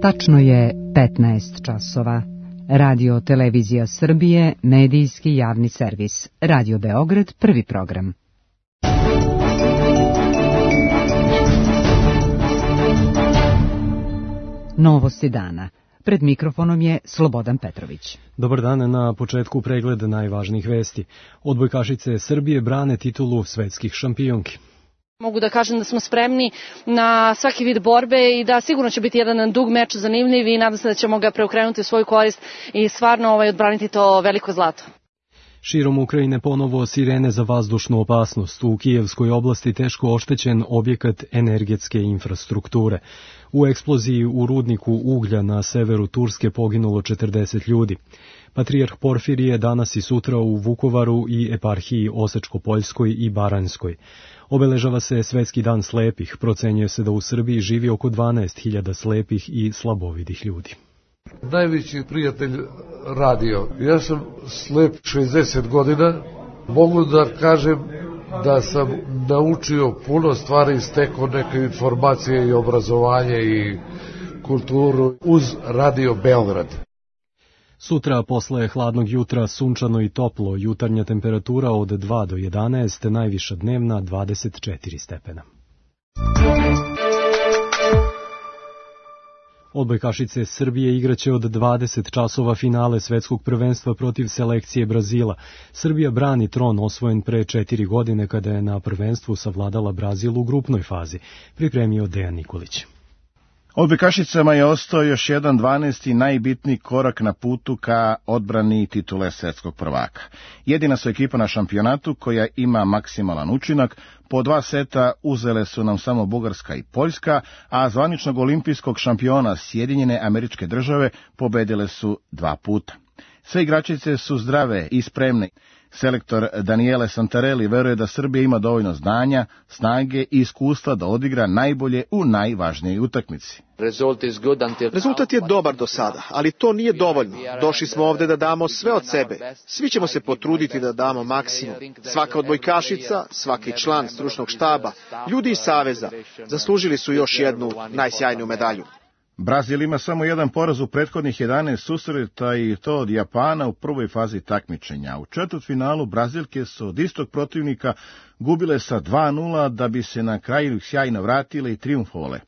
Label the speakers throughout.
Speaker 1: Tačno je 15 časova. Radio Televizija Srbije, medijski javni servis. Radio Beograd, prvi program. Novosti dana. Pred mikrofonom je Slobodan Petrović.
Speaker 2: Dobar dan, na početku pregled najvažnijih vesti. Odbojkašice Srbije brane titulu svetskih šampionki.
Speaker 3: Mogu da kažem da smo spremni na svaki vid borbe i da sigurno će biti jedan dug meč, zanimljiv i nadam se da ćemo ga preokrenuti u svoju korist i stvarno odbraniti to veliko zlato.
Speaker 2: Širom Ukrajine ponovo sirene za vazdušnu opasnost. U Kijevskoj oblasti teško oštećen objekat energetske infrastrukture. U eksploziji u rudniku uglja na severu Turske poginulo 40 ljudi. Patrijarh Porfirije danas i sutra u Vukovaru i eparhiji Osečko-Poljskoj i Baranjskoj. Obeležava se Svetski dan slepih. Procenjuje se da u Srbiji živi oko 12.000 slepih i slabovidih ljudi.
Speaker 4: Najveći prijatelj radio. Ja sam slep 60 godina. Mogu da kažem da sam naučio puno stvari, stekao neke informacije i obrazovanje i kulturu uz Radio Beograd.
Speaker 2: Sutra posle hladnog jutra sunčano i toplo, jutarnja temperatura od 2 do 11, najviša dnevna 24 stepena. Odbojkašice Srbije igraće od 20 časova finale svetskog prvenstva protiv selekcije Brazila. Srbija brani tron osvojen pre 4 godine kada je na prvenstvu savladala Brazil u grupnoj fazi, pripremio Dejan Nikolić.
Speaker 5: Odbojkašicama je ostao još jedan 12. najbitniji korak na putu ka odbrani titule svetskog prvaka. Jedina su ekipa na šampionatu koja ima maksimalan učinak. Po 2 seta uzele su nam samo Bugarska i Poljska, a zvaničnog olimpijskog šampiona Sjedinjene Američke Države pobedile su 2 puta. Sve igračice su zdrave i spremne. Selektor Daniele Santarelli veruje da Srbija ima dovoljno znanja, snage i iskustva da odigra najbolje u najvažnijoj utakmici.
Speaker 6: Rezultat je dobar do sada, ali to nije dovoljno. Došli smo ovde da damo sve od sebe. Svi ćemo se potruditi da damo maksimum. Svaka odbojkašica, svaki član stručnog štaba, ljudi iz Saveza zaslužili su još jednu najsjajniju medalju.
Speaker 5: Brazil ima samo jedan poraz u prethodnih 11 susreta i to od Japana u prvoj fazi takmičenja. U četvrtfinalu Brazilke su od istog protivnika gubile sa 2:0 da bi se na kraju sjajno vratile i trijumfovale.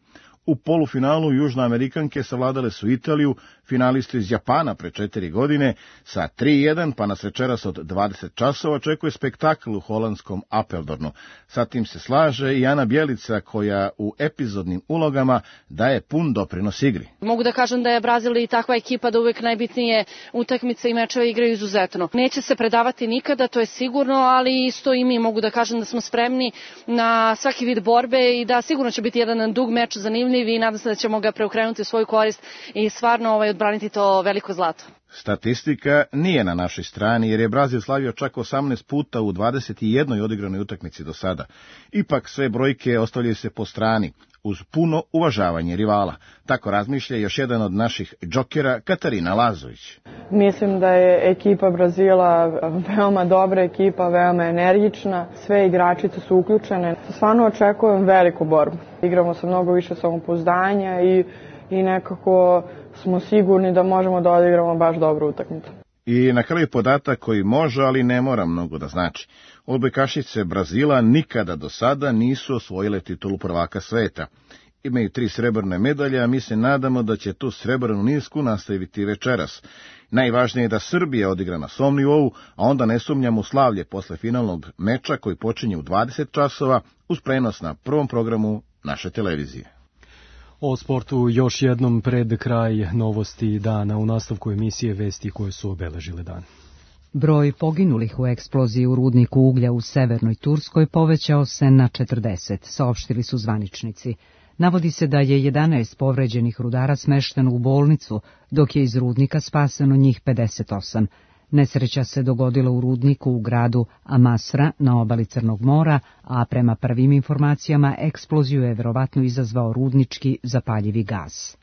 Speaker 5: U polufinalu Južnoamerikanke savladale su Italiju, finalistu iz Japana pre 4 godine, sa 3:1, pa nas večeras od 20 časova očekuje spektakl u holandskom Apeldornu. Sa tim se slaže i Ana Bjelica, koja u epizodnim ulogama daje pun doprinos igri.
Speaker 3: Mogu da kažem da je Brazil i takva ekipa da uvek najbitnije utakmice i mečeve igraju izuzetno. Neće se predavati nikada, to je sigurno, ali isto i mi mogu da kažem da smo spremni na svaki vid borbe i da sigurno će biti jedan dug meč, zanimljiv i nadam se da ćemo ga preokrenuti u svoju korist i stvarno odbraniti to veliko zlato.
Speaker 5: Statistika nije na našoj strani jer je Brazil slavio čak 18 puta u 21 odigranoj utakmici do sada. Ipak sve brojke ostavljaju se po strani, uz puno uvažavanje rivala. Tako razmišlja još jedan od naših džokera, Katarina Lazović.
Speaker 7: Mislim da je ekipa Brazila veoma dobra ekipa, veoma energična, sve igračice su uključene. Stvarno očekujem veliku borbu. Igramo sa mnogo više samopouzdanja i nekako smo sigurni da možemo da odigramo baš dobru utakmicu.
Speaker 5: I na kraju podatak koji može, ali ne mora mnogo da znači. Odbojkašice Brazila nikada do sada nisu osvojile titulu prvaka sveta. Imaju 3 srebrne medalje, a mi se nadamo da će tu srebrnu nisku nastaviti večeras. Najvažnije je da Srbija odigra na svom nivou, a onda ne sumnjamo u slavlje posle finalnog meča koji počinje u 20 časova uz prenos na prvom programu naše televizije.
Speaker 2: O sportu još jednom pred kraj novosti dana u nastavku emisije vesti koje su obeležile dan.
Speaker 1: Broj poginulih u eksploziji u rudniku uglja u severnoj Turskoj povećao se na 40, saopštili su zvaničnici. Navodi se da je 11 povređenih rudara smešteno u bolnicu, dok je iz rudnika spaseno njih 58. Nesreća se dogodila u rudniku u gradu Amasra na obali Crnog mora, a prema prvim informacijama eksploziju je verovatno izazvao rudnički zapaljivi gas.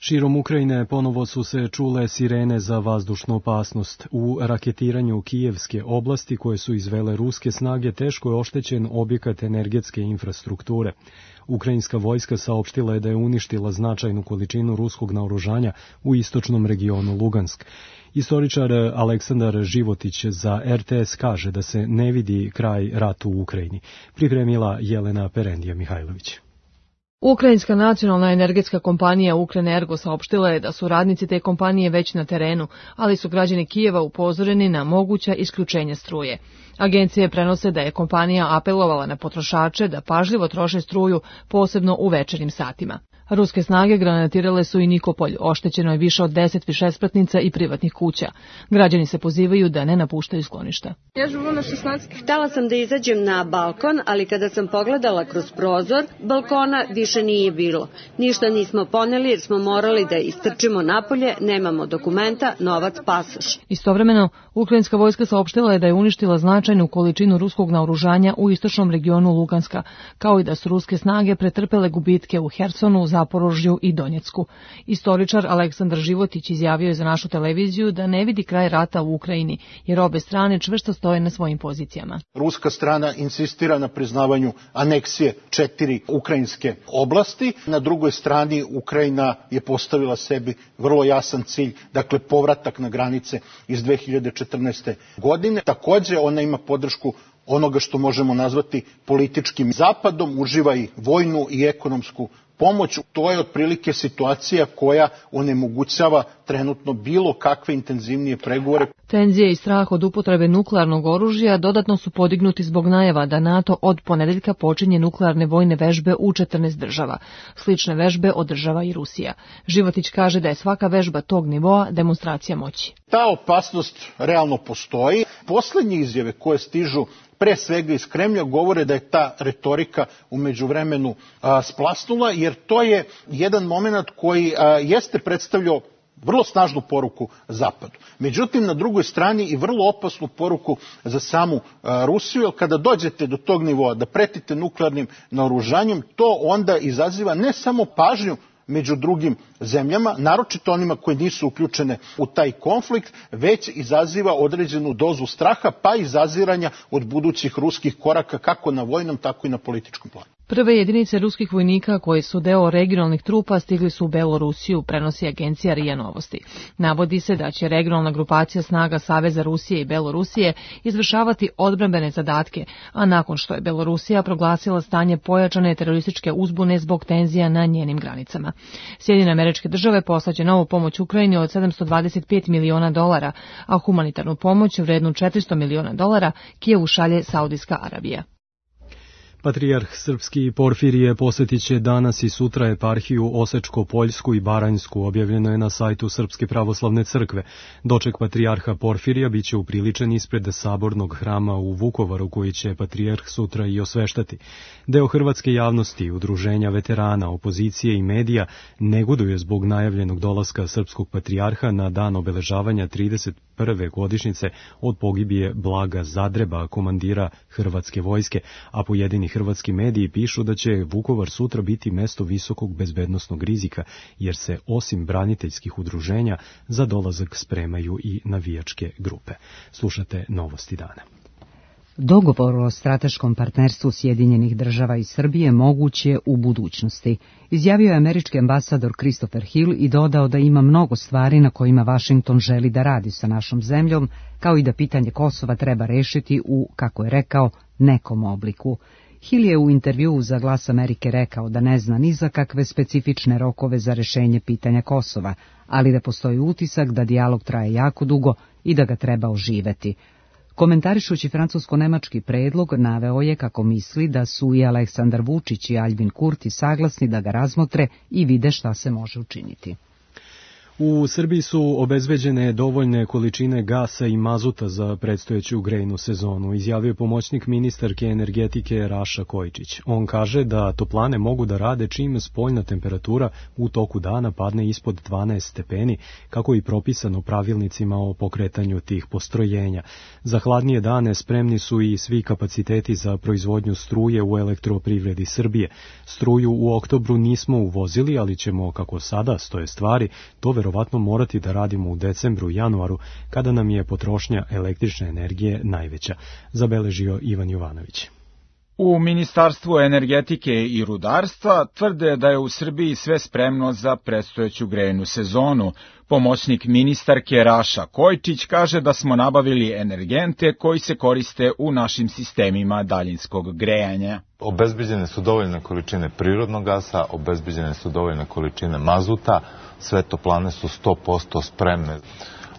Speaker 2: Širom Ukrajine ponovo su se čule sirene za vazdušnu opasnost. U raketiranju Kijevske oblasti koje su izvele ruske snage teško je oštećen objekat energetske infrastrukture. Ukrajinska vojska saopštila je da je uništila značajnu količinu ruskog naoružanja u istočnom regionu Lugansk. Istoričar Aleksandar Životić za RTS kaže da se ne vidi kraj ratu u Ukrajini. Pripremila Jelena Perendija Mihajlović.
Speaker 8: Ukrajinska nacionalna energetska kompanija Ukrenergo saopštila je da su radnici te kompanije već na terenu, ali su građani Kijeva upozoreni na moguća isključenja struje. Agencije prenose da je kompanija apelovala na potrošače da pažljivo troše struju, posebno u večernjim satima. Ruske snage granatirale su i Nikopolj, oštećeno je više od 10 višespratnica i privatnih kuća. Građani se pozivaju da ne napuštaju skloništa.
Speaker 9: Htela sam da izađem na balkon, ali kada sam pogledala kroz prozor, balkona više nije bilo. Ništa nismo poneli jer smo morali da istrčimo napolje, nemamo dokumenta, novac, pasoš.
Speaker 8: Istovremeno, ukrajinska vojska saopštila je da je uništila značajnu količinu ruskog naoružanja u istočnom regionu Luganska, kao i da su ruske snage pretrpele gubitke u Hersonu, Zaporožju i Donjecku. Istoričar Aleksandar Životić izjavio je za našu televiziju da ne vidi kraj rata u Ukrajini, jer obe strane čvrsto stoje na svojim pozicijama.
Speaker 10: Ruska strana insistira na priznavanju aneksije 4 ukrajinske oblasti. Na drugoj strani Ukrajina je postavila sebi vrlo jasan cilj, dakle povratak na granice iz 2014. godine. Takođe ona ima podršku onoga što možemo nazvati političkim zapadom, uživa i vojnu i ekonomsku pomoć. To je otprilike situacija koja onemogućava trenutno bilo kakve intenzivnije pregovore.
Speaker 8: Tenzije i strah od upotrebe nuklearnog oružja dodatno su podignuti zbog najava da NATO od ponedeljka počinje nuklearne vojne vežbe u 14 država. Slične vežbe održava i Rusija. Životić kaže da je svaka vežba tog nivoa demonstracija moći.
Speaker 10: Ta opasnost realno postoji. Poslednje izjave koje stižu pre svega iz Kremlja govore da je ta retorika u međuvremenu splasnula, jer to je jedan moment koji jeste predstavljao vrlo snažnu poruku Zapadu. Međutim, na drugoj strani i vrlo opasnu poruku za samu Rusiju, jer kada dođete do tog nivoa da pretite nuklearnim naoružanjem, to onda izaziva ne samo pažnju među drugim zemljama, naročito onima koji nisu uključene u taj konflikt, već izaziva određenu dozu straha, pa i zaziranja od budućih ruskih koraka kako na vojnom, tako i na političkom planu.
Speaker 8: Prve jedinice ruskih vojnika koji su deo regionalnih trupa stigli su u Belorusiju, prenosi agencija RIA Novosti. Navodi se da će regionalna grupacija snaga Saveza Rusije i Belorusije izvršavati odbrambene zadatke, a nakon što je Belorusija proglasila stanje pojačane terorističke uzbune zbog tenzija na njenim granicama. Sjedinjene Američke Države poslaće novu pomoć Ukrajini od $725 miliona, a humanitarnu pomoć vrednu $400 miliona Kijevu šalje Saudijska Arabija.
Speaker 2: Patrijarh srpski Porfirije posjetit će danas i sutra eparhiju Osečko-Poljsku i Baranjsku, objavljeno je na sajtu Srpske pravoslavne crkve. Doček patrijarha Porfirija biće upriličen ispred sabornog hrama u Vukovaru, koji će patrijarh sutra i osveštati. Deo hrvatske javnosti, udruženja veterana, opozicije i medija negoduje zbog najavljenog dolaska srpskog patrijarha na dan obeležavanja 31. godišnjice od pogibije Blaga Zadreba, komandira hrvatske vojske, a pojedini hrvatski mediji pišu da će Vukovar sutra biti mesto visokog bezbednosnog rizika, jer se osim braniteljskih udruženja za dolazak spremaju i navijačke grupe. Slušate Novosti dana.
Speaker 1: Dogovor o strateškom partnerstvu Sjedinjenih Država i Srbije moguć je u budućnosti, izjavio je američki ambasador Christopher Hill i dodao da ima mnogo stvari na kojima Vašington želi da radi sa našom zemljom, kao i da pitanje Kosova treba rešiti u, kako je rekao, nekom obliku. Hill je u intervjuu za Glas Amerike rekao da ne zna ni za kakve specifične rokove za rešenje pitanja Kosova, ali da postoji utisak da dijalog traje jako dugo i da ga treba oživeti. Komentarišući francusko-nemački predlog, naveo je kako misli da su i Aleksandar Vučić i Aljbin Kurti saglasni da ga razmotre i vide šta se može učiniti.
Speaker 2: U Srbiji su obezbeđene dovoljne količine gasa i mazuta za predstojeću grejnu sezonu, izjavio pomoćnik ministarke energetike Raša Kojičić. On kaže da toplane mogu da rade čim spoljna temperatura u toku dana padne ispod 12 stepeni, kako i propisano pravilnicima o pokretanju tih postrojenja. Za hladnije dane spremni su i svi kapaciteti za proizvodnju struje u elektroprivredi Srbije. Struju u oktobru nismo uvozili, ali ćemo, kako sada stoje stvari, to verovatno morati da radimo u decembru i januaru, kada nam je potrošnja električne energije najveća, zabeležio Ivan Jovanović.
Speaker 11: U Ministarstvu energetike i rudarstva tvrde da je u Srbiji sve spremno za predstojeću grejnu sezonu. Pomoćnik ministarke Raša Kojičić kaže da smo nabavili energente koji se koriste u našim sistemima daljinskog grejanja.
Speaker 12: Obezbeđene su dovoljne količine prirodnog gasa, obezbeđene su dovoljne količine mazuta, sve toplane su 100% spremne.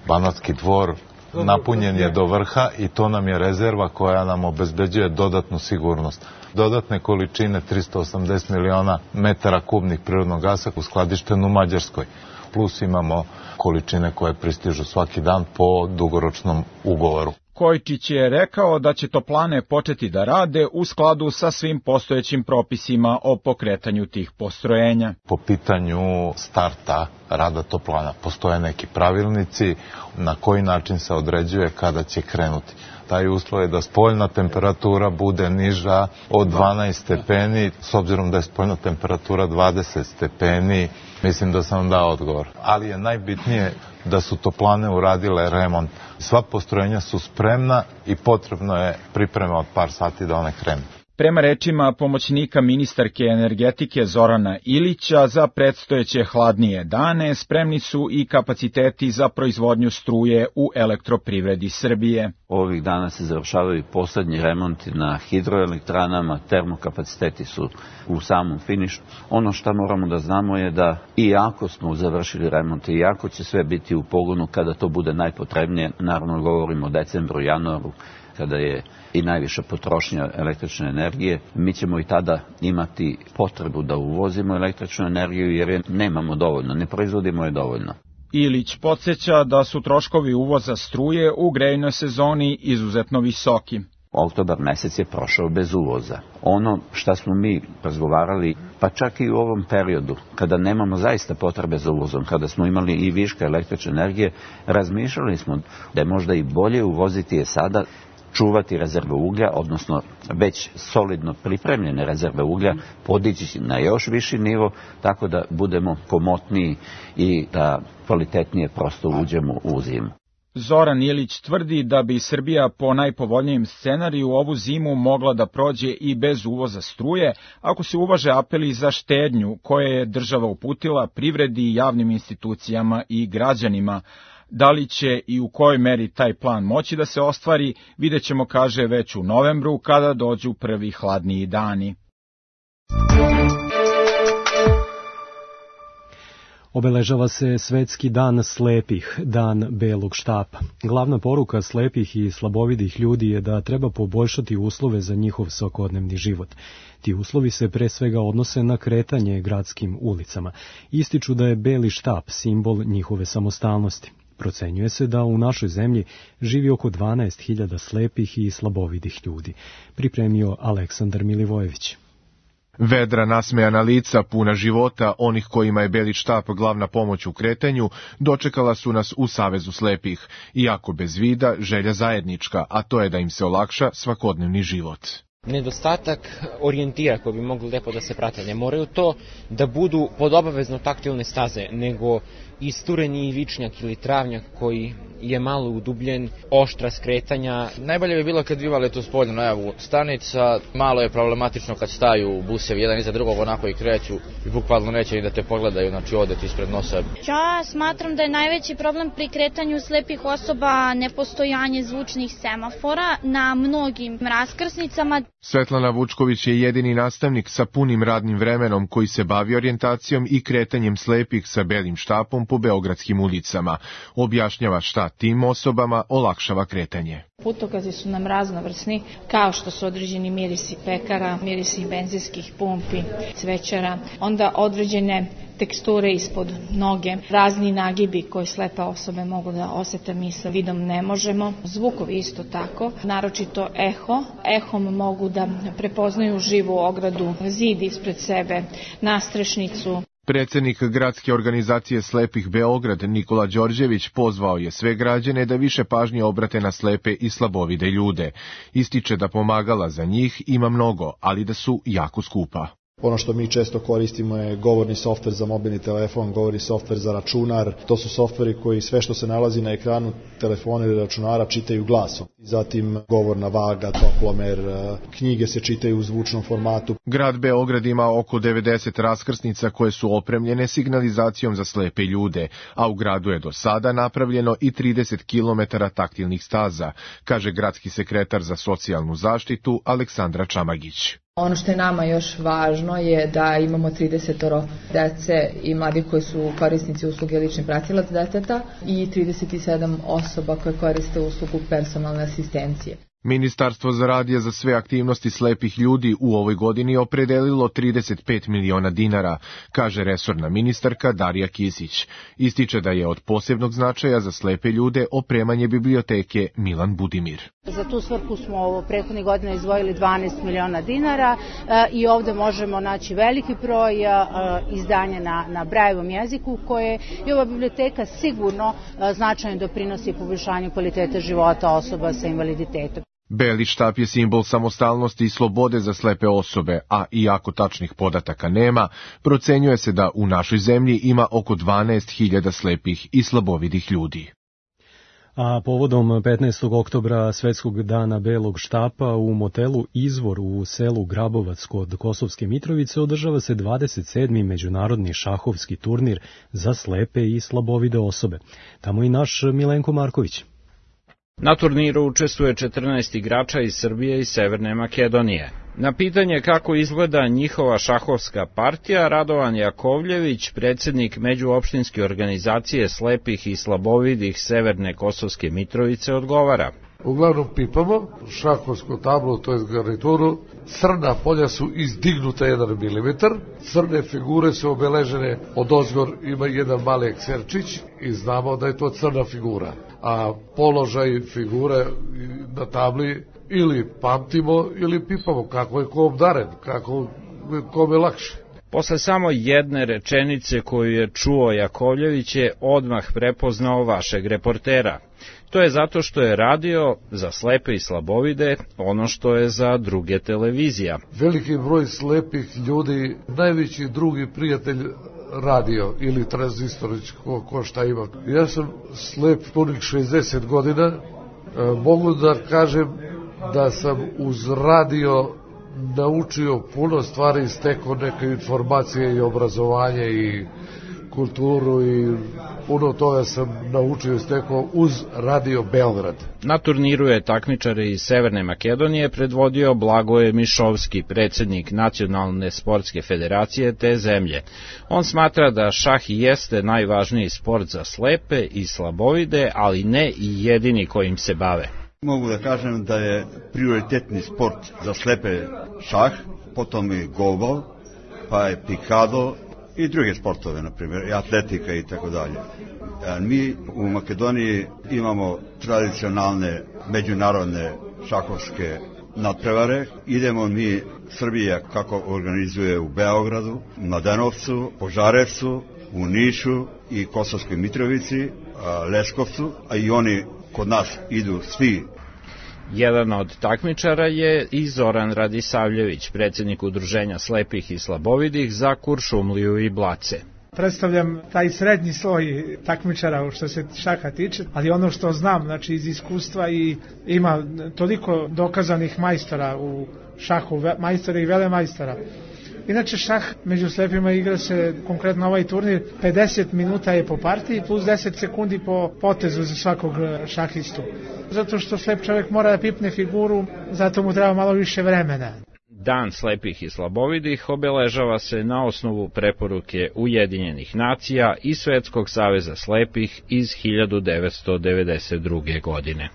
Speaker 12: Banatski Dvor napunjen je do vrha i to nam je rezerva koja nam obezbeđuje dodatnu sigurnost. Dodatne količine 380 miliona metara kubnih prirodnog gasa uskladišteno u Mađarskoj. Plus imamo količine koje pristižu svaki dan po dugoročnom ugovoru.
Speaker 11: Kojičić je rekao da će toplane početi da rade u skladu sa svim postojećim propisima o pokretanju tih postrojenja.
Speaker 12: Po pitanju starta rada toplana postoje neki pravilnici na koji način se određuje kada će krenuti. Taj uslov je da spoljna temperatura bude niža od 12 stepeni, s obzirom da je spoljna temperatura 20 stepeni, mislim da sam dao odgovor. Ali je najbitnije da su toplane uradile remont. Sva postrojenja su spremna i potrebno je priprema od par sati da one krenu.
Speaker 11: Prema rečima pomoćnika ministarke energetike Zorana Ilića, za predstojeće hladnije dane spremni su i kapaciteti za proizvodnju struje u elektroprivredi Srbije.
Speaker 13: Ovih dana se završavaju poslednji remonti na hidroelektranama, termokapaciteti su u samom finišu. Ono što moramo da znamo je da iako smo završili remont i iako će sve biti u pogonu kada to bude najpotrebnije, naravno govorimo o decembru, januaru, kada je i najviša potrošnja električne energije, mi ćemo i tada imati potrebu da uvozimo električnu energiju jer je nemamo dovoljno, ne proizvodimo je dovoljno.
Speaker 11: Ilić podsjeća da su troškovi uvoza struje u grejnoj sezoni izuzetno visoki.
Speaker 13: Oktobar mesec je prošao bez uvoza. Ono što smo mi razgovarali, pa čak i u ovom periodu, kada nemamo zaista potrebe za uvozom, kada smo imali i viška električne energije, razmišljali smo da je možda i bolje uvoziti je sada, čuvati rezerve uglja, odnosno već solidno pripremljene rezerve uglja, podići na još viši nivo, tako da budemo komotniji i da kvalitetnije prosto uđemo u zimu.
Speaker 11: Zoran Ilić tvrdi da bi Srbija po najpovoljnijem scenariju ovu zimu mogla da prođe i bez uvoza struje, ako se uvaže apeli za štednju koje je država uputila privredi, javnim institucijama i građanima. Da li će i u kojoj meri taj plan moći da se ostvari, vidjet ćemo, kaže, već u novembru, kada dođu prvi hladniji dani.
Speaker 2: Obeležava se Svetski dan slepih, dan belog štapa. Glavna poruka slepih i slabovidih ljudi je da treba poboljšati uslove za njihov svakodnevni život. Ti uslovi se pre svega odnose na kretanje gradskim ulicama. Ističu da je beli štap simbol njihove samostalnosti. Procenjuje se da u našoj zemlji živi oko 12.000 slepih i slabovidih ljudi, pripremio Aleksandar Milivojević.
Speaker 14: Vedra, nasmejana lica, puna života, onih kojima je beli štap glavna pomoć u kretanju, dočekala su nas u Savezu slepih. Iako bez vida, želja zajednička, a to je da im se olakša svakodnevni život.
Speaker 15: Nedostatak orijentira koji bi mogli lepo da se prate. Ne moraju to da budu pod obavezno taktilne staze, nego istureni vičnjak ili travnjak koji je malo udubljen, oštra skretanja.
Speaker 16: Najbolje bi bilo kad bi imali tu spoljnu najavu stanica. Malo je problematično kad staju busevi jedan iza drugog onako i kreću i bukvalno neće ni da te pogledaju, znači ode ti ispred nosa.
Speaker 17: Ja smatram da je najveći problem pri kretanju slepih osoba nepostojanje zvučnih semafora na mnogim raskrsnicama.
Speaker 14: Svetlana Vučković je jedini nastavnik sa punim radnim vremenom koji se bavi orijentacijom i kretanjem slepih sa belim štapom po beogradskim ulicama. Objašnjava šta tim osobama olakšava kretanje.
Speaker 18: Putokazi su nam raznovrsni, kao što su određeni mirisi pekara, mirisi benzinskih pumpi, cvećara, onda određene teksture ispod noge, razni nagibi koje slepe osobe mogu da osete, mi sa vidom ne možemo. Zvukovi isto tako, naročito eho. Ehom mogu da prepoznaju živu ogradu, zid ispred sebe, nastrešnicu.
Speaker 14: Predsednik gradske organizacije slepih Beograd Nikola Đorđević pozvao je sve građane da više pažnje obrate na slepe i slabovide ljude. Ističe da pomagala za njih ima mnogo, ali da su jako skupa.
Speaker 19: Ono što mi često koristimo je govorni softver za mobilni telefon, govorni softver za računar. To su softveri koji sve što se nalazi na ekranu telefona ili računara čitaju glasom. Zatim govorna vaga, toplomer, knjige se čitaju u zvučnom formatu.
Speaker 14: Grad Beograd ima oko 90 raskrsnica koje su opremljene signalizacijom za slepe ljude, a u gradu je do sada napravljeno i 30 km taktilnih staza, kaže gradski sekretar za socijalnu zaštitu Aleksandra Čamagić.
Speaker 20: Ono što je nama još važno je da imamo 30 dece i mladih koji su korisnici usluge lični pratilac deteta i 37 osoba koje koriste uslugu personalne asistencije.
Speaker 14: Ministarstvo za rad je za sve aktivnosti slepih ljudi u ovoj godini opredelilo 35 miliona dinara, kaže resorna ministarka Darija Kisić. Ističe da je od posebnog značaja za slepe ljude opremanje biblioteke Milan Budimir.
Speaker 21: Za tu svrhu smo prethodnih godina izdvojili 12 miliona dinara i ovde možemo naći veliki broj izdanja na Brajevom jeziku koje i ova biblioteka sigurno značajno doprinosi poboljšanju kvaliteta života osoba sa invaliditetom.
Speaker 14: Beli štap je simbol samostalnosti i slobode za slepe osobe, a iako tačnih podataka nema, procenjuje se da u našoj zemlji ima oko 12.000 slepih i slabovidih ljudi.
Speaker 2: A povodom 15. oktobra Svetskog dana Belog štapa u motelu Izvor u selu Grabovac kod Kosovske Mitrovice održava se 27. međunarodni šahovski turnir za slepe i slabovide osobe. Tamo i naš Milenko Marković.
Speaker 22: Na turniru učestvuje 14 igrača iz Srbije i Severne Makedonije. Na pitanje kako izgleda njihova šahovska partija, Radovan Jakovljević, predsjednik Međuopštinske organizacije slepih i slabovidih Severne Kosovske Mitrovice, odgovara.
Speaker 4: Uglavnom pipamo šahovsku tablu, to je garnituru. Crna polja su izdignuta 1 mm, crne figure su obeležene od ozgor, ima jedan mali ekserčić i znamo da je to crna figura. A položaj figure na tabli ili pamtimo ili pipamo, kako je ko obdaren, kako kome lakše.
Speaker 22: Posle samo jedne rečenice koju je čuo Jakovljević je odmah prepoznao vašeg reportera. To je zato što je radio za slepe i slabovide ono što je za druge televizija.
Speaker 4: Veliki broj slepih ljudi, najveći drugi prijatelj radio ili tranzistorić, ko šta ima. Ja sam slep punih 60 godina, mogu da kažem da sam uz radio naučio puno stvari, stekao neke informacije i obrazovanje i kulturu i puno toga sam naučio i stekao uz Radio Beograd.
Speaker 22: Na turniru je takmičare iz Severne Makedonije predvodio Blagoje Mišovski, predsjednik Nacionalne sportske federacije te zemlje. On smatra da šah jeste najvažniji sport za slepe i slabovide, ali ne i jedini kojim se bave.
Speaker 23: Mogu da kažem da je prioritetni sport za slepe šah, potom je golbal, pa je pikado i druge sportove, na primjer, i atletika i tako dalje. Mi u Makedoniji imamo tradicionalne međunarodne šahovske nadprevare. Idemo mi, Srbija, kako organizuje u Beogradu, Mladenovcu, Požarevcu, u Nišu i Kosovskoj Mitrovici, Leskovcu, a i oni kod nas idu svi.
Speaker 22: Jedan od takmičara je i Zoran Radisavljević, predsjednik Udruženja slepih i slabovidih za Kuršumliju i Blace.
Speaker 24: Predstavljam taj srednji sloj takmičara što se šaha tiče, ali ono što znam, znači iz iskustva i ima toliko dokazanih majstora u šahu, majstora i velemajstora. Inače šah među slepima igra se, konkretno ovaj turnir, 50 minuta je po partiji plus 10 sekundi po potezu za svakog šahistu. Zato što slep čovjek mora da pipne figuru, zato mu treba malo više vremena.
Speaker 22: Dan slepih i slabovidih obeležava se na osnovu preporuke Ujedinjenih nacija i Svetskog saveza slepih iz 1992. godine.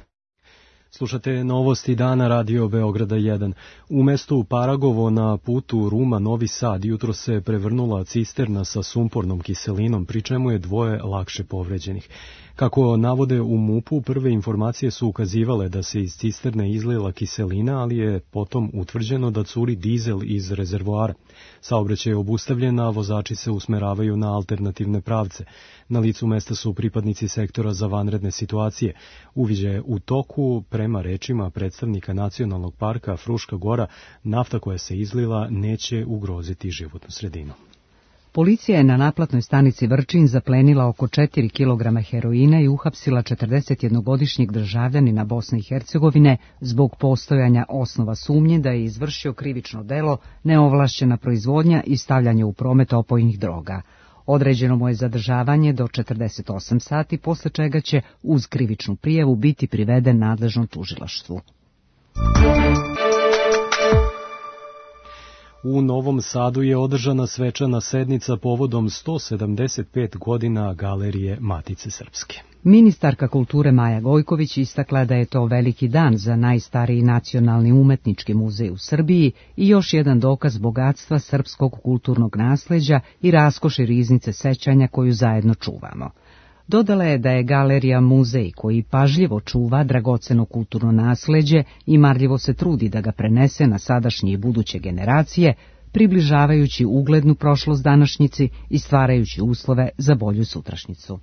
Speaker 2: Slušate novosti dana Radio Beograda 1. U mestu Paragovo na putu Ruma-Novi Sad jutro se prevrnula cisterna sa sumpornom kiselinom, pri čemu je 2 lakše povređenih. Kako navode u MUP-u, prve informacije su ukazivale da se iz cisterne izlila kiselina, ali je potom utvrđeno da curi dizel iz rezervoara. Saobraćaj je obustavljen, a vozači se usmeravaju na alternativne pravce. Na licu mesta su pripadnici sektora za vanredne situacije. Uviđaj je u toku, prema rečima predstavnika Nacionalnog parka Fruška Gora, nafta koja se izlila neće ugroziti životnu sredinu.
Speaker 1: Policija je na naplatnoj stanici Vrčin zaplenila oko 4 kg heroina i uhapsila 41-godišnjeg državljanina Bosne i Hercegovine zbog postojanja osnova sumnje da je izvršio krivično delo neovlašćena proizvodnja i stavljanje u promet opojnih droga. Određeno mu je zadržavanje do 48 sati, posle čega će uz krivičnu prijavu biti priveden nadležnom tužilaštvu.
Speaker 2: U Novom Sadu je održana svečana sednica povodom 175 godina Galerije Matice Srpske.
Speaker 1: Ministarka kulture Maja Gojković istakla da je to veliki dan za najstariji nacionalni umetnički muzej u Srbiji i još jedan dokaz bogatstva srpskog kulturnog nasleđa i raskoši riznice sećanja koju zajedno čuvamo. Dodala je da je galerija muzej koji pažljivo čuva dragoceno kulturno nasleđe i marljivo se trudi da ga prenese na sadašnje i buduće generacije, približavajući uglednu prošlost današnjici i stvarajući uslove za bolju sutrašnjicu.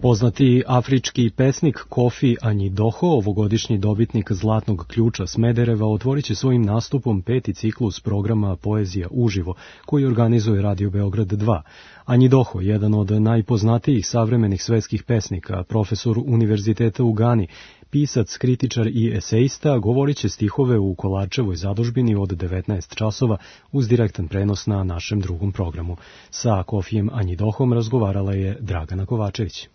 Speaker 2: Poznati afrički pesnik Kofi Anjidoho, ovogodišnji dobitnik Zlatnog ključa Smedereva, otvorit će svojim nastupom 5. ciklus programa Poezija uživo, koji organizuje Radio Beograd 2. Anjidoho, jedan od najpoznatijih savremenih svetskih pesnika, profesor Univerziteta u Gani, pisac, kritičar i esejista, govorit će stihove u Kolarčevoj zadužbini od 19 časova uz direktan prenos na našem drugom programu. Sa Kofijem Anjidohom razgovarala je Dragana Kovačević.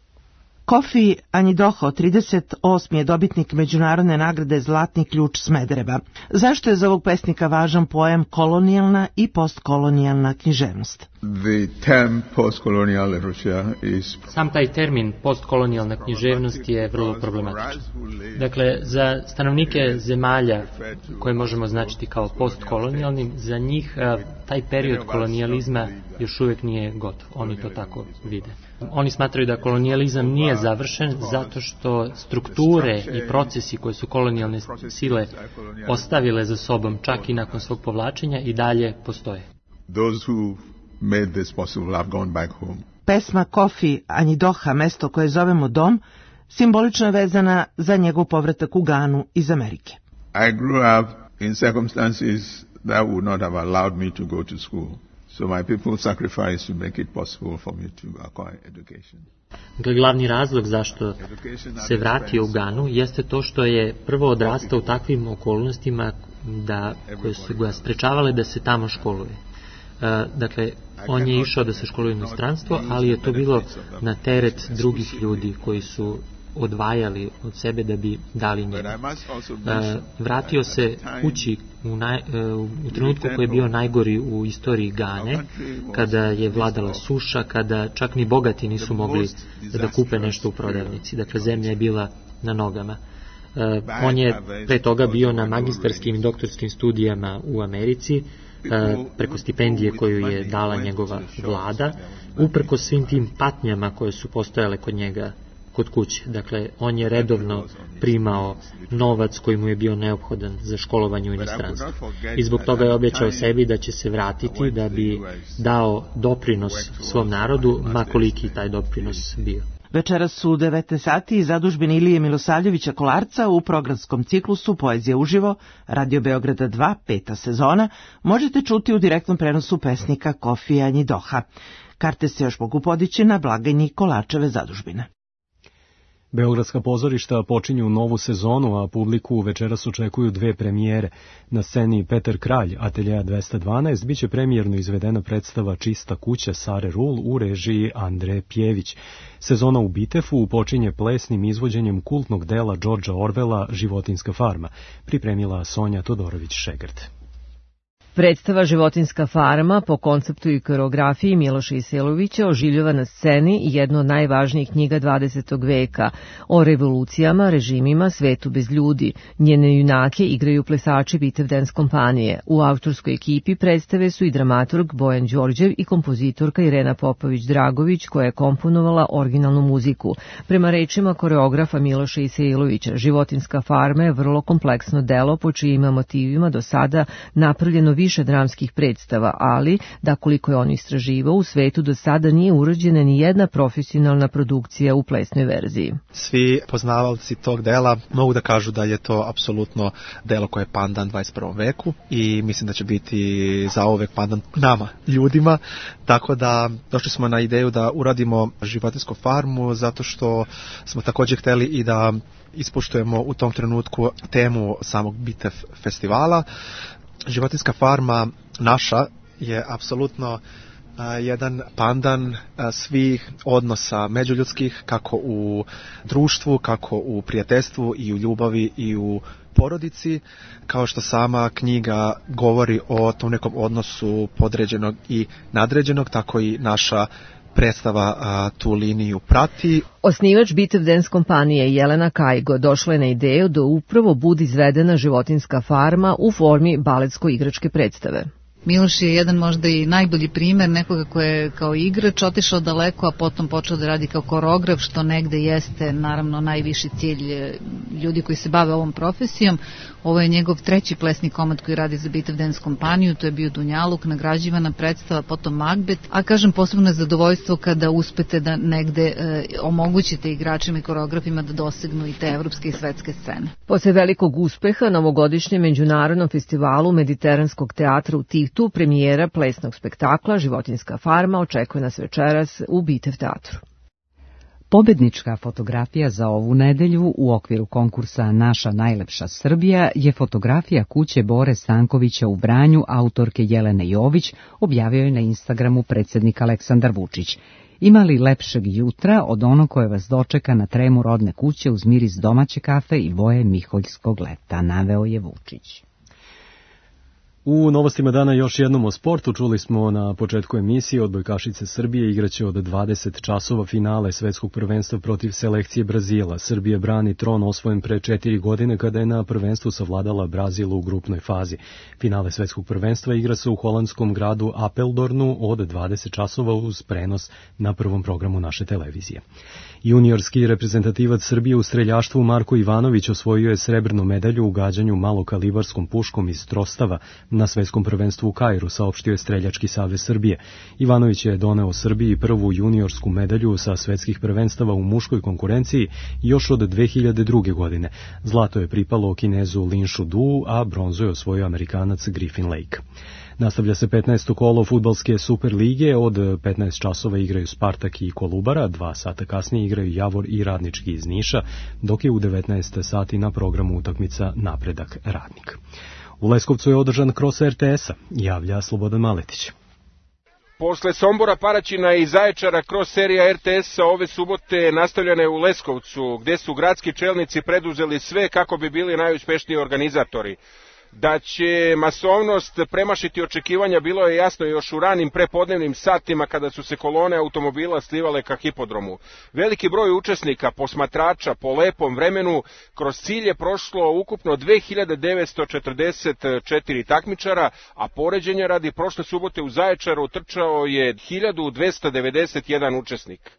Speaker 3: Kofi Anjidoho, 38. je dobitnik međunarodne nagrade Zlatni ključ Smedereva. Zašto je za ovog pesnika važan pojam kolonijalna i postkolonijalna književnost?
Speaker 5: Sam taj termin postkolonijalna književnost je vrlo problematičan. Dakle, za stanovnike zemalja koje možemo označiti kao postkolonijalnim, za njih taj period kolonijalizma još uvijek nije gotov. Oni to tako vide. Oni smatraju da kolonijalizam nije završen zato što strukture i procesi koje su kolonijalne sile ostavile za sobom čak i nakon svog povlačenja i dalje postoje.
Speaker 3: Pesma Kofi Anjidoha, mesto koje zovemo dom, simbolično je vezana za njegov povratak u Ganu iz Amerike.
Speaker 6: I grew up in circumstances that would not have allowed me to go to school. So my people sacrificed to make it possible for me to acquire education.
Speaker 5: Glavni razlog zašto se vratio u Ganu jeste to što je prvo odrastao u takvim okolnostima koje su ga sprečavale da se tamo školuje. Dakle, on je išao da se školuje u inostranstvo, ali je to bilo na teret drugih ljudi koji su odvajali od sebe da bi dali njemu. Vratio se kući u trenutku koji je bio najgori u istoriji Gane, kada je vladala suša, kada čak ni bogati nisu mogli da kupe nešto u prodavnici. Dakle, zemlja je bila na nogama. On je pre toga bio na magistarskim i doktorskim studijama u Americi, preko stipendije koju je dala njegova vlada, uprkos svim tim patnjama koje su postojale kod njega kod kuće. Dakle, on je redovno primao novac koji mu je bio neophodan za školovanje u inostranstvu. I zbog toga je obećao sebi da će se vratiti da bi dao doprinos svom narodu, ma koliki taj doprinos bio.
Speaker 3: Večeras su 19 sati iz zadužbine Ilije Milosavljevića Kolarca u programskom ciklusu Poezija uživo, Radio Beograda 2, 5. sezona, možete čuti u direktnom prenosu pesnika Kofija Anjidoha. Karte se još mogu podići na blagajni Kolarčeve zadužbine.
Speaker 2: Beogradska pozorišta počinju novu sezonu, a publiku večeras očekuju 2 premijere. Na sceni Petar Kralj, Ateljeja 212, biće premijerno izvedena predstava Čista kuća Sare Rul u režiji Andre Pjević. Sezona u Bitefu počinje plesnim izvođenjem kultnog dela Đorđa Orvela Životinjska farma, pripremila Sonja Todorović-Šegrt.
Speaker 7: Predstava Životinjska farma po konceptu i koreografiji Miloša Iselovića oživljava na sceni jednu od najvažnijih knjiga 20. veka o revolucijama, režimima, svetu bez ljudi. Njene junake igraju plesači Bitev Dance kompanije. U autorskoj ekipi predstave su i dramaturg Bojan Đorđev i kompozitorka Irena Popović-Dragović koja je komponovala originalnu muziku. Prema rečima koreografa Miloša Iselovića, Životinjska farma je vrlo kompleksno delo po čijima motivima do sada napravljeno više dramskih predstava, ali da koliko je on istraživao, u svetu do sada nije urađena ni jedna profesionalna produkcija u plesnoj verziji.
Speaker 8: Svi poznavalci tog dela mogu da kažu da je to apsolutno delo koje je pandan 21. veku i mislim da će biti zauvek pandan nama, ljudima, tako da došli smo na ideju da uradimo Životinjsku farmu zato što smo također hteli i da ispoštujemo u tom trenutku temu samog Bitev festivala. Životinjska farma naša je apsolutno jedan pandan svih odnosa međuljudskih, kako u društvu, kako u prijateljstvu i u ljubavi i u porodici, kao što sama knjiga govori o tom nekom odnosu podređenog i nadređenog, tako i naša predstava tu liniju prati.
Speaker 7: Osnivač Bitev Dance kompanije Jelena Kajgo došla je na ideju da upravo bude izvedena Životinjska farma u formi baletsko-igračke predstave.
Speaker 9: Miloš je jedan možda i najbolji primer nekoga koji je kao igrač otišao daleko, a potom počeo da radi kao koreograf, što negde jeste naravno najviši cilj ljudi koji se bave ovom profesijom. Ovo je njegov treći plesni komad koji radi za Bitev Dance kompaniju, to je bio Dunjaluk, nagrađivana predstava, potom Macbeth, a kažem posebno je zadovoljstvo kada uspete da negde omogućite igračima i koreografima da dosegnu i te evropske i svetske scene.
Speaker 7: Posle velikog uspeha na ovogodišnjem međunarodnom festivalu Mediteranskog teatra u Tivtu, premijera plesnog spektakla Životinjska farma očekuje nas večeras u Bitev teatru.
Speaker 1: Pobednička fotografija za ovu nedelju u okviru konkursa Naša najlepša Srbija je fotografija kuće Bore Stankovića u Vranju, autorke Jelene Jović, objavio je na Instagramu predsjednik Aleksandar Vučić. Ima li lepšeg jutra od ono koje vas dočeka na tremu rodne kuće uz miris domaće kafe i boje miholjskog leta, naveo je Vučić.
Speaker 2: U novostima dana još jednom o sportu. Čuli smo na početku emisije odbojkašice Srbije igraće od 20 časova finale svetskog prvenstva protiv selekcije Brazila. Srbija brani tron osvojen pre 4 godine kada je na prvenstvu savladala Brazil u grupnoj fazi. Finale svetskog prvenstva igra se u holandskom gradu Apeldornu od 20 časova uz prenos na prvom programu naše televizije. Juniorski reprezentativac Srbije u streljaštvu Marko Ivanović osvojio je srebrnu medalju u gađanju malokalibarskom puškom iz Trostava na svetskom prvenstvu u Kairu, saopštio je Streljački savez Srbije. Ivanović je doneo Srbiji prvu juniorsku medalju sa svetskih prvenstava u muškoj konkurenciji još od 2002. godine. Zlato je pripalo Kinezu Lin Shudu, a bronzu je osvojio Amerikanac Griffin Lake. Nastavlja se 15. kolo fudbalske Super lige, od 15 časova igraju Spartak i Kolubara, 2 sata kasnije igraju Javor i Radnički iz Niša, dok je u 19 sati na programu utakmica Napredak Radnik. U Leskovcu je održan kros RTS-a, javlja Slobodan Maletić.
Speaker 10: Posle Sombora, Paraćina i Zaječara, kroz serija RTS-a ove subote nastavljena je u Leskovcu, gde su gradski čelnici preduzeli sve kako bi bili najuspešniji organizatori. Da će masovnost premašiti očekivanja bilo je jasno još u ranim prepodnevnim satima kada su se kolone automobila slivale ka hipodromu. Veliki broj učesnika, posmatrača po lepom vremenu, kroz cilj je prošlo ukupno 2944 takmičara, a poređenja radi prošle subote u Zaječaru trčao je 1291 učesnik.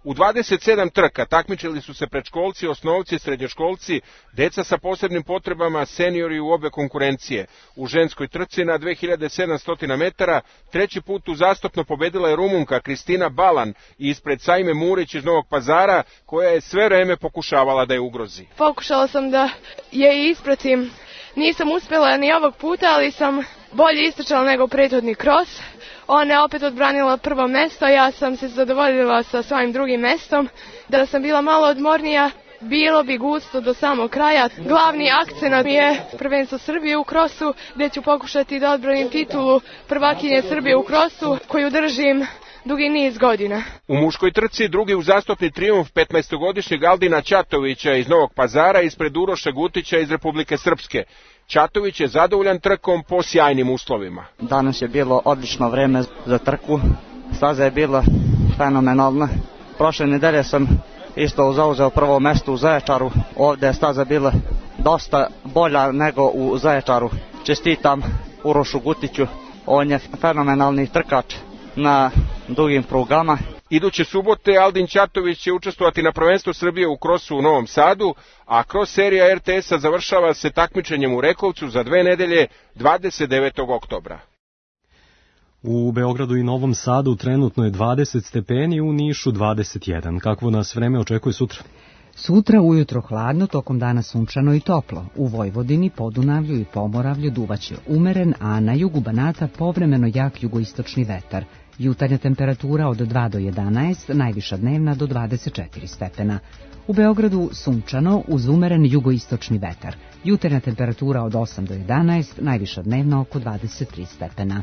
Speaker 10: U 27 trka takmičili su se predškolci, osnovci, srednjoškolci, deca sa posebnim potrebama, seniori u obe konkurencije. U ženskoj trci na 2700 metara treći put uzastopno pobedila je Rumunka Kristina Balan ispred Sajme Murić iz Novog Pazara, koja je sve vreme pokušavala da je ugrozi.
Speaker 25: Pokušala sam da je ispratim. Nisam uspjela ni ovog puta, ali sam bolje istrčala nego prethodni kros. Ona je opet odbranila prvo mesto, ja sam se zadovoljila sa svojim drugim mestom. Da sam bila malo odmornija, bilo bi gusto do samog kraja. Glavni akcenat je prvenstvo Srbije u krosu, gdje ću pokušati da odbranim titulu prvakinje Srbije u krosu, koju držim dugi niz godina.
Speaker 10: U muškoj trci drugi uzastopni trijumf 15-godišnjeg Aldina Ćatovića iz Novog Pazara ispred Uroša Gutića iz Republike Srpske. Ćatović je zadovoljan trkom po sjajnim uslovima.
Speaker 11: Danas je bilo odlično vreme za trku, staza je bila fenomenalna. Prošle nedelje sam isto zauzeo prvo mesto u Zaječaru, ovde je staza bila dosta bolja nego u Zaječaru. Čestitam Urošu Gutiću, on je fenomenalni trkač na dugim prugama.
Speaker 10: Iduće subote Aldin Ćatović će učestvovati na prvenstvu Srbije u krosu u Novom Sadu, a kros serija RTS-a završava se takmičenjem u Rekovcu za 2 nedelje 29. oktobra.
Speaker 2: U Beogradu i Novom Sadu trenutno je 20 stepeni, u Nišu 21. Kakvo nas vreme očekuje sutra?
Speaker 1: Sutra ujutro hladno, tokom dana sunčano i toplo. U Vojvodini, Podunavlju i Pomoravlju duvaće umeren, a na jugu Banata povremeno jak jugoistočni vetar. Jutarnja temperatura od 2 do 11, najviša dnevna do 24 stepena. U Beogradu sunčano uz umeren jugoistočni vetar. Jutarnja temperatura od 8 do 11, najviša dnevna oko 23 stepena.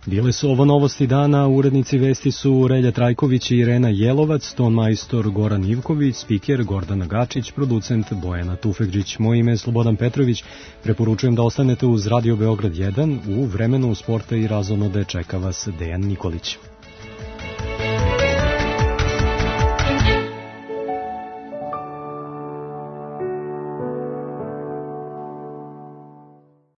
Speaker 2: Bile su ovo novosti dana, urednici vesti su Relja Trajković i Irena Jelovac, ton majstor Goran Ivković, spiker Gordana Gačić, producent Bojana Tufegđić. Moje ime je Slobodan Petrović, preporučujem da ostanete uz Radio Beograd 1, u vremenu sporta i razonode čeka vas Dejan Nikolić.